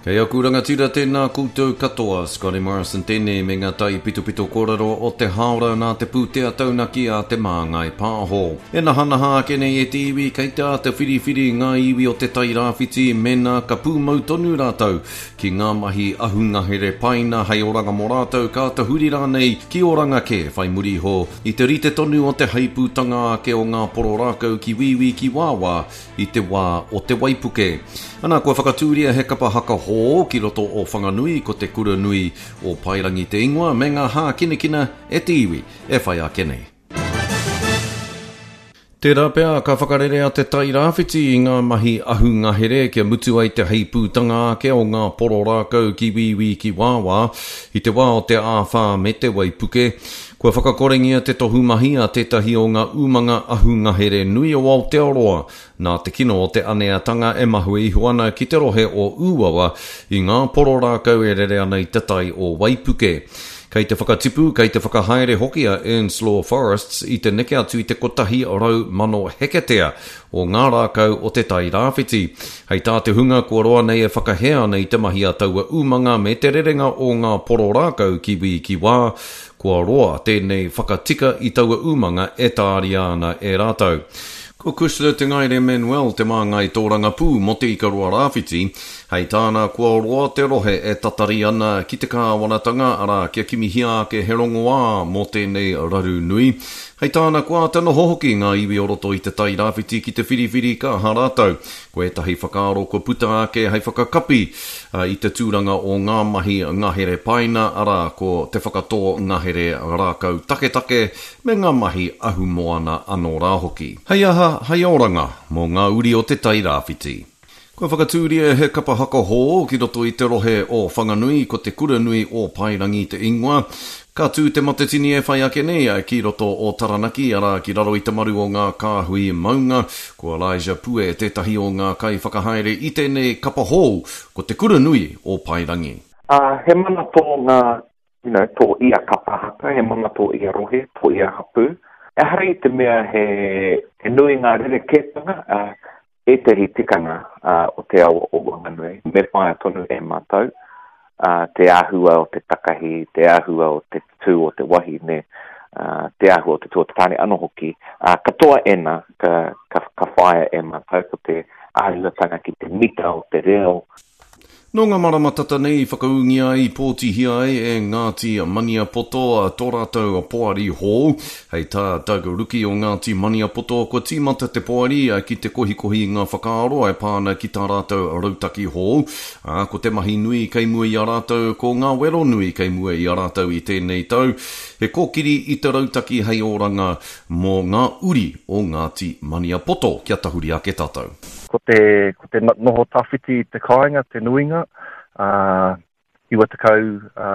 Kei aku rangatira tēnā koutou katoa, Scotty Morrison tēnei me ngā taipitopito kōrero o te hāora nā te pūtea taunaki a Te Māngai Pāho. E nahanaha ake nei e te iwi kei te āta whiriwhiri ngā iwi o Te Tairāwhiti mēnā ka pūmau tonu rātou ki ngā mahi ahungahere paina hei oranga mō rātou ka tahuri rānei ki oranga kē whai muri iho i te rite tonu o te heipūtanga ake o ngā poro rākau ki wīwī ki wāwā i te wā o te waipuke. Ana, kua whakatūria he kapa haka hō ki roto o Whanganui, ko Te Kura Nui o Paerangi te ingoa, me ngā hākinakina e te iwi e whai ake nei. Tērā pea ka whakarerea Te Tai Rāwhiti i ngā mahi ahungahere kia mutu ai te heipūtanga ake o ngā poro rākau ki wīwī ki wāwā i te wā o te āwhā me te waipuke. Kua whakakorengia te tohu mahi a tētahi o ngā umanga ahungahere nui o Aotearoa nā te kino o te aneatanga e mahue iho ana ki te rohe o Ūawa i ngā poro rākau e rere ana i te tai o Waipuke. Kei te whakatipu, kei te whakahaere hoki a Earnslaw Forests i te neke atu i te 100,000 heketea o ngā rākau o te Tai Rāwhiti. Hei tā te hunga kua roa nei e whakahē ana i te mahi a taua umanga me te rerenga o ngā poro rākau ki wī ki wā, kua roa tēnei whakatika i taua umanga e tāria ana e rātou. Ko Cushla Te Ngaere Manuel te māngai tōrangapū mō Te Ikaroa Rāwhiti. Hei tāna, kua roa te rohe e tatari ana ki te kāwanatanga, arā, kia kimihia ake he rongoā mō tēnei raru nui. Hei tāna, kua āta noho hoki ngā iwi o roto i Te Tai Rāwhiti ki te whiriwhiri ka aha rātou. Ko ētahi whakaaro kua puta ake hei whakakapi i te tūranga o ngā mahi ngahere paina, arā, ko te whakatō ngahere rākau taketake me ngā mahi ahumoana anō rā hoki. Hei aha, hei oranga mō ngā uri o Te Tai Rāwhiti. Kua whakatūria he kapa haka hou ki roto i te rohe o Whanganui, ko Te Kura Nui o Paerangi te ingoa. Ka tū Te Matatini e whai ake nei ki roto o Taranaki, arā, ki raro i te maru o ngā kāhui maunga. Ko Elijah Pue tētahi o ngā kaiwhakahaere i tēnei kapa hou, ko Te Kura Nui o Paerangi. Ā, he mana tō ngā, you know, tō ia kapa haka, he mana tō ia rohe, tō ia hapū. Ehara i te mea he, he nui ngā rerekētanga, ā, ētahi tikanga o te awa o Wanganui, me whāia tonu e mātou te āhua o te takahi, te āhua o te tū o te wahine, te āhua o te tū o te tāne anō hoki. Katoa ēnā ka, ka, ka whāia e mātou, ko te āhuatanga ki te mita o te reo, Nō ngā marama tata nei i whakaūngia ai, i pōtihia ai e Ngāti Maniapoto tō rātou poari hou. Hei tā Doug Ruki o Ngāti Maniapoto, kua tīmata te poari ki te kohikohi i ngā whakaaro e pā ana ki tā rātou rautaki hou, ā, ko te mahi nui kei mua i a rātou, ko ngā wero nui kei mua i a rātou i tēnei tau, he kōkiri i te rautaki hei oranga mō ngā uri o Ngāti Maniapoto. Kia tahuri ake tātou. Ko te, ko te noho tawhiti i te kāinga te nuinga, ā, 90 ā,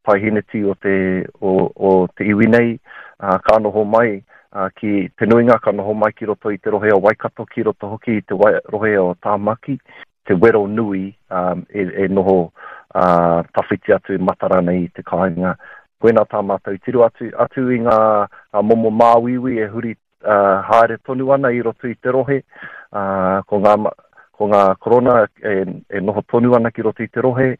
paeheneti o te, o, o te iwi nei, ā, ka noho mai, ā, ki te nuinga ka noho mai ki roto i te rohe o Waikato, ki roto hoki i te wai, rohe o Tāmaki, te wero nui ā, e, e noho ā, tawhiti atu matara nei i te kāinga. Koinā tā mātou tiro atu, atu i ngā, ngā momo māuiui e huri haere tonu ana i roto i te rohe, ko ngā, ko ngā korona e, e noho tonu ana ki roto i te rohe.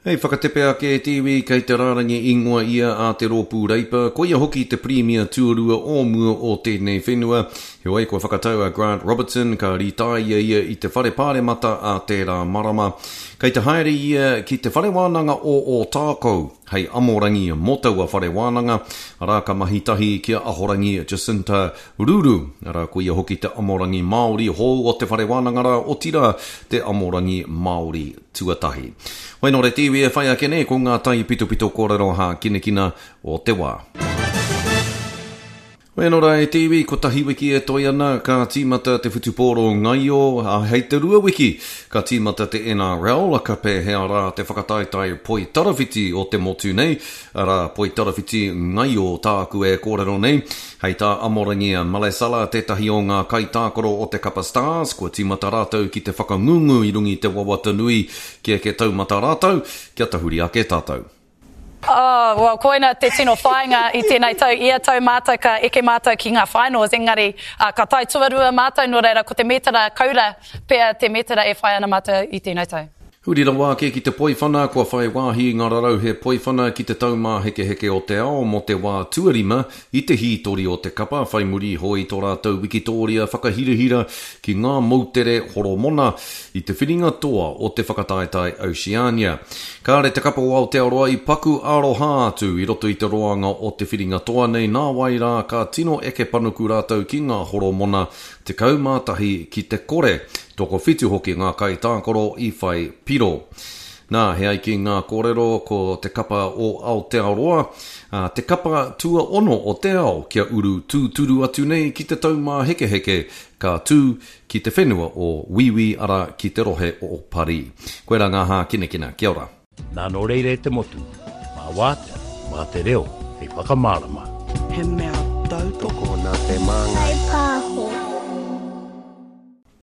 Hei whakatepe ake e te iwi kei te rārangi ingoa ia a te Rōpū Reipa, koia hoki te Pirimia tuarua o mua o tēnei whenua. Heoi, kua whakatau a Grant Robertson ka rītāia ia i te Whare Pāremata ā tērā marama. Kei te haere ia ki te Whare Wānanga o Ōtākou. Hei amorangi mō taua whare wānanga, arā, ka mahi tahi ki a Ahorangi Jacinta Ruru, arā, ko ia hoki te amorangi Māori hou o te whare wānanga rā, otirā, te amorangi Māori tuatahi. Hoi nō re te iwi e whai ake nei ko ngā taipitopito kōrero hākinakina o te wā. Hoi anō rā e te iwi, kotahi wiki e toe ana, ka tīmata te whutupōro ngaio, ā, hei te rua wiki ka tīmata te NRL, ka pēhea rā te whakataetae poitarawhiti o te motu nei, arā, poitarawhiti ngaio tāku e kōrero nei. Hei tā Amorangi Malesala, tētahi o ngā kaitākaro o te kapa Stars, kua tīmata rātou ki te whakangungu i runga i te wawata nui kia eke taumata rātou, kia tahuri ake tātou. Oh, well, koina te tino whāinga i tēnei tau. Ia tau mātou ka eke mātou ki ngā finals, engari uh, ka tae tuarua mātou, nō reira ko te mētara kaura pea te mētara e whai ana mātou i tēnei tau. Huri rawa ake ki te Poiwhana, kua whai wāhi ngā rarauhe Poiwhana ki te Taumāhekeheke o te Ao mō te wā tuarima i te hītori o te kapa whai muri iho i tō rātou wikitōria whakahirahira ki ngā moutere Horomona i te whiringa toa o te whakataetae Oceania. Kāre te kapa o Aotearoa i paku aroha atu i roto i te roanga o te whiringa toa nei nāwai rā ka tino eke panuku rātou ki ngā Horomona 11 ki te kore, tokowhitu hoki ngā kaitākaro i whai piro. Nā, he ai ki ngā kōrero ko te kapa o Aotearoa, ā, te kapa tuaono o te ao kia uru tūturu atu nei ki te taumāhekeheke ka tū ki te whenua o Wīwī arā ki te rohe o Parī. Koirā ngā hākinakina. Kia ora. Nā nō reira e te motu, mā wātea, mā te reo hei whakamārama. He mea tautoko. Tokona te māngai.